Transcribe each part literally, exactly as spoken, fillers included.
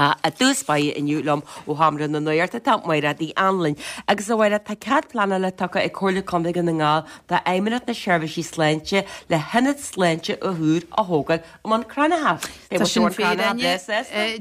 I dtús báire inniu liom ó Sheomra na Nuachta tá Máire Uí Anluain. Agus a Mháire tá cead pleanála tugtha ag Comhairle Contae Dhún na nGall d'Fheidhmeannacht na Seirbhísí Sláinte le hionad sláinte úr a thógáil i mBun Cranncha. Tá sin fíor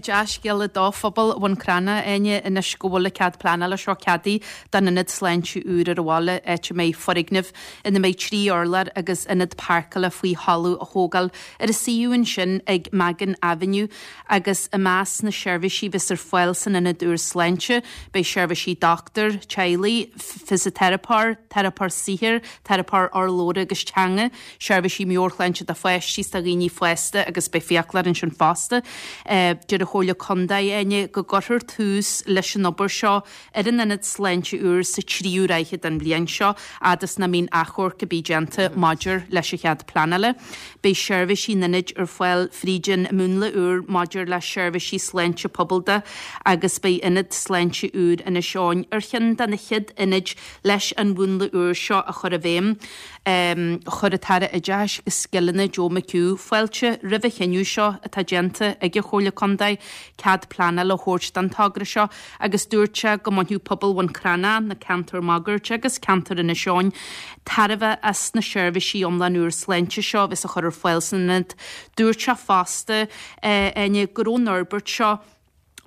dea-scéala do phobal Bhun Cranncha Áine anois go bhfuil cead pleanála seo ceadaithe don ionad sláinte úr ar an bhaile áit a mbeidh foirgneamh ina mbeidh trí urlár agus ionad páirceála faoi thalamh a thógáil ar a suíomh ansin ag Magan Avenue agus i measc na seirbhísí a bheas ar fáil san ionad úr sláinte, beidh seirbhísí dochtúir, teaghlaigh, fisiteiripeoir, teiripeoir saothair, teiripeoir urlabhra agus teanga, seirbhísí meabhairshláinte do pháistí is do dhaoine fásta agus beidh fiaclóir ansin fosta. Deir an Chomhairle Contae Áine go gcuirfear tús leis an obair seo ar an ionad sláinte úr sa tríú ráithe den bhliain seo, fhad is nach mbíonn achomharc ar bith déanta maidir leis an chead pleanála. Beidh seirbhísí an ionaid ar fáil fríd an múnla úr maidir le seirbhísí sláinte pobail de agus beidh ionad sláinte úr Inis Eoghain ar cheann de na chéad ionaid leis an mhúnla úr seo a chur i bhfeidhm. Chuir an tAire Oideachais agus Scileanna Joe McHugh fáilte roimh an chinneadh seo atá déanta ag an Chomhairle Contae cead pleanála a thabhairt don togra seo agus dúirt sé go mbainfeadh pobal Bhun Cranncha, na ceantair máguaird agus ceantar Inis Eoghain tairbhe as na seirbhísí iomlán úr sláinte seo a bheas á chur ar fáil san ionad. Dúirt sé fosta Áine go raibh an fhorbairt seo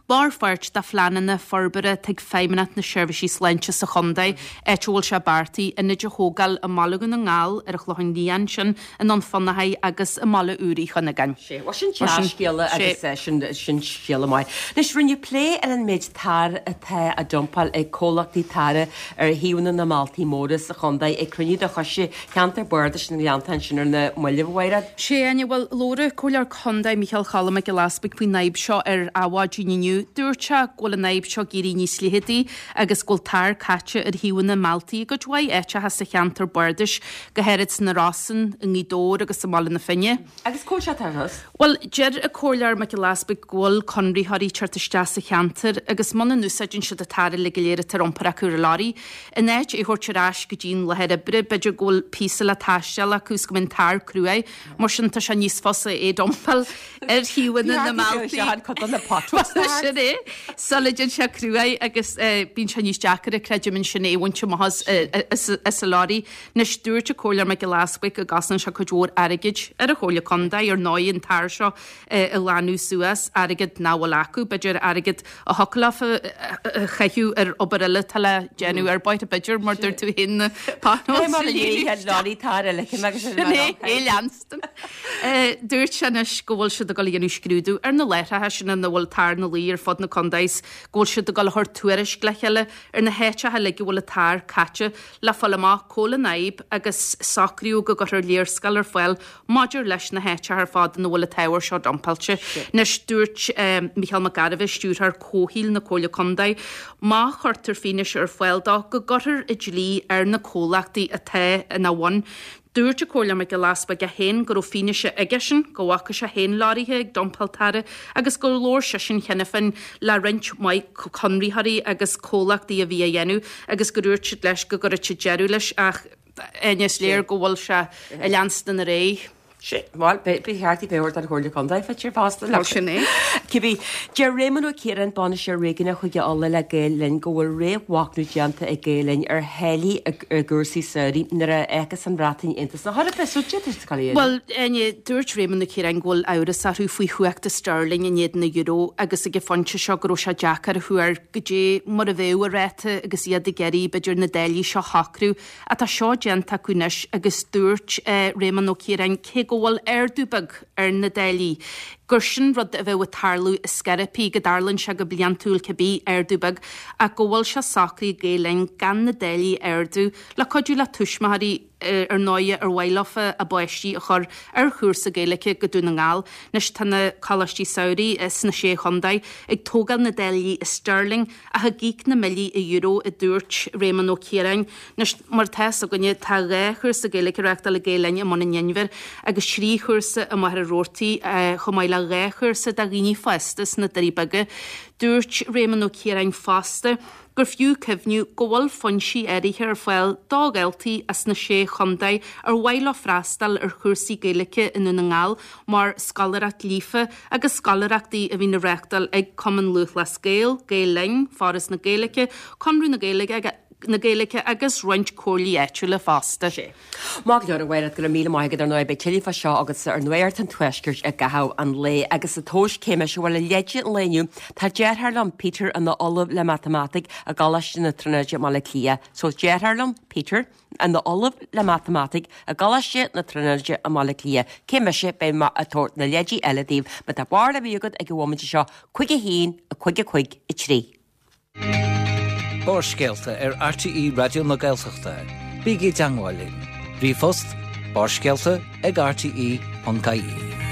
mar pháirt de phleananna forbartha atá ag Feidhmeannacht na Seirbhísí Sláinte sa chontae, áit a bhfuil sé beartaithe ionaid a thógáil i mBaile Dhún na nGall, ar an Chlochán Liath ansin, i nDún Fionnachaidh agus i mBaile Úr Uí Chuinneagáin. Sé, bhuel sin dea-scéala agus sin sin scéala maith. Anois rinneadh plé ar an méid tarr atá á dumpáil ag comhlachtaí tarra ar thaobhanna na mbailte móra sa chontae ag cruinniú de choiste cheantar bardais na nGleannta ansin ar na mallaibh, a Mháire. Sé, Áine, bhuel labhair an Comhairleoir Contae Micheál Cholm Mac Giolla Easbuig faoin fhadhb seo ar Adhmhaidin inniu. Dúirt sé go bhfuil an fhadhb seo ag éirí níos leitheadaí agus go bhfuil tar caite ar thaobhanna na mbealtaí i gcuid mhaith áiteacha sa cheantar bardais, go háirid sna Rosann, i nGaoth Dobhair agus i mBaile na Finne. Agus cá bhfuil sé tar thus? Bhuel, deir an Comhairleoir Mac Giolla Easbuig go bhfuil conraitheoirí ag teacht isteach sa cheantar agus muna n-úsáideann siad an tar uilig go léir atá ar iompar acu ar an lorry, in áit é a thabhairt ar ais go dtí an láthair oibre, b'fhéidir go bhfuil píosa le taisteal acu is go mbíonn tar cruaidh, mar sin tá sé níos fusa é a dumpáil ar thaobhanna na mbealtaí. Sin é. Sula dtéann sé cruaidh agus bíonn sé níos deacair, creidim, ansin é a bhaint amach as an lorry. Anois, dúirt an Comhairleoir Mac Giolla Easbuig go gcosnaíonn sé cuid mhór airgid ar an Chomhairle Contae, ar ndóigh, an tar seo a ghlanadh suas, airgead nach bhfuil acu, b'fhéidir airgead a thiocfadh leofa a chaitheamh ar obair eile atá le déanamh ar bóithre, b'fhéidir, mar dúirt tú féin, na potholes. Sin é, é leanstan. Dúirt sé anois go bhfuil siad ag dul a dhéanamh scrúdú ar na láithreacha sin ina bhfuil tar ina luí ar fud na contae is go bhfuil siad ag dul a thabhairt tuairisc le chéile ar na háiteacha uilig a bhfuil an tar caite le fáil amach cá bhfuil an fhadhb agus socrú go gcuirfear léarscáil ar fáil maidir leis na háiteacha ar fad ina bhfuil an t-ábhar seo dumpáilte. Anois dúirt Micheál Mac Gairbheith, Stiúrthóir Comhshaoil na Comhairle Contae, má chuirtear fianaise ar fáil dó go gcuirfear an dlí ar na comhlachtaí atá ina bhun. Dúirt an Comhairleoir Mac Giolla Easbuig é féin go raibh fianaise aigesean go bhfaca sé féin leoraithe ag dumpáil tarra agus gur labhair seisean cheana féin le roinnt mhaith conraitheoirí agus comhlachtaí a bhí á dhéanamh agus gur dhúirt siad leis go gcuirfeadh siad deireadh leis ach is léir go bhfuil sé ag leanstan ar aghaidh. Sea, bhuel, ba cheart í bheith ort an Chomhairle Contae, faitíos fosta. Bhuel, sin é. Cibé, deir Réamonn Ó Ciaráin, Bainisteoir Réigiúnach Chúige Uladh le Gael Linn, go bhfuil réamh-mhachnamh déanta ag Gael Linn ar tháillí i gcúrsaí samhraidh nuair a fhágfas an Bhreatain Aontas na hEorpa. So, d'fhéadfadh sé cur i Bhuel, Áine, dúirt Réamonn Ó Ciaráin go bhfuil amhras orthu faoi chumhacht an sterling in éadan an euro agus ag an phointe seo go raibh sé deacair a thuar goidé mar a bheadh an ráta agus iad ag iarraidh b'fhéidir na dálaí seo a shocrú. Ach tá seo déanta acu anois agus dúirt Réamonn Ó Ciaráin cé go bhfuil ardú beag ar na dálaí, gur sin rud a bheadh ag tarlú i scor ar bith, go dtarlaíonn sé go bliantúil cibé, ardú beag, ach go bhfuil sé socraithe ag Gael Linn gan na dálaí a ardú le cuidiú le tuismitheoirí ar ndóigh ar mhaith leofa a bpáistí a chur ar chúrsa Gaeilge go Dún na nGall. Anois tá na coláistí samhraidh sna Sé Chontae ag tógáil na dálaí i sterling ach ag íoc na mbillí i euro, a dúirt Réamonn Ó Ciaráin. Anois, mar atá fhios againne, tá dhá chúrsa Gaeilge á reáchtáil ag Gael Linn i mBun an Inbhir agus trí chúrsa i Machaire Rabhartaigh, chomh maith le dhá chúrsa do dhaoine fásta sna Doirí Beaga. Dúirt Réamonn Ó Ciaráin fosta gur fiú cuimhniú go bhfuil foinsí áirithe ar fáil do dhaltaí as na Sé Chontae ar mhaith leo freastal ar chúrsaí Gaeilge i nDún na nGall mar Scoláireacht Líofa agus scoláireachtaí a bhíonn á reáchtáil ag Cumann Lúthchleas Gael, Gael Linn, Foras na Gaeilge, Conradh na Gaeilge na Gaeilge agus roinnt comhairlí áitiúla fosta. Maith go leor a Mhairéad, go raibh míle maith agat ar ndóigh beidh tuilleadh fá seo agatsa ar Nuacht an Tuaiscirt i gcaitheamh an lae agus sa tomhas cé mise bhfuil i leide an lae inniu tá deartháir liom Peter ina ollamh le matamaitic i gColáiste na Tríonóide i mBaile Átha Cliath. So deartháir liom Peter ina ollamh le matamaitic i gColáiste na Tríonóide i mBaile Átha Cliath. Cé mise beidh mé ag tabhairt na leidí eile daoibh má tá barúil ar bith agat ag an bhomaite seo cúig a haon a cúig a cúig a trí. Barrscéalta ar RTÉ Raidió na Gaeltachta. Bígí i dteagmháil linn. Ríomhphost barrscéalta ag rte.ie.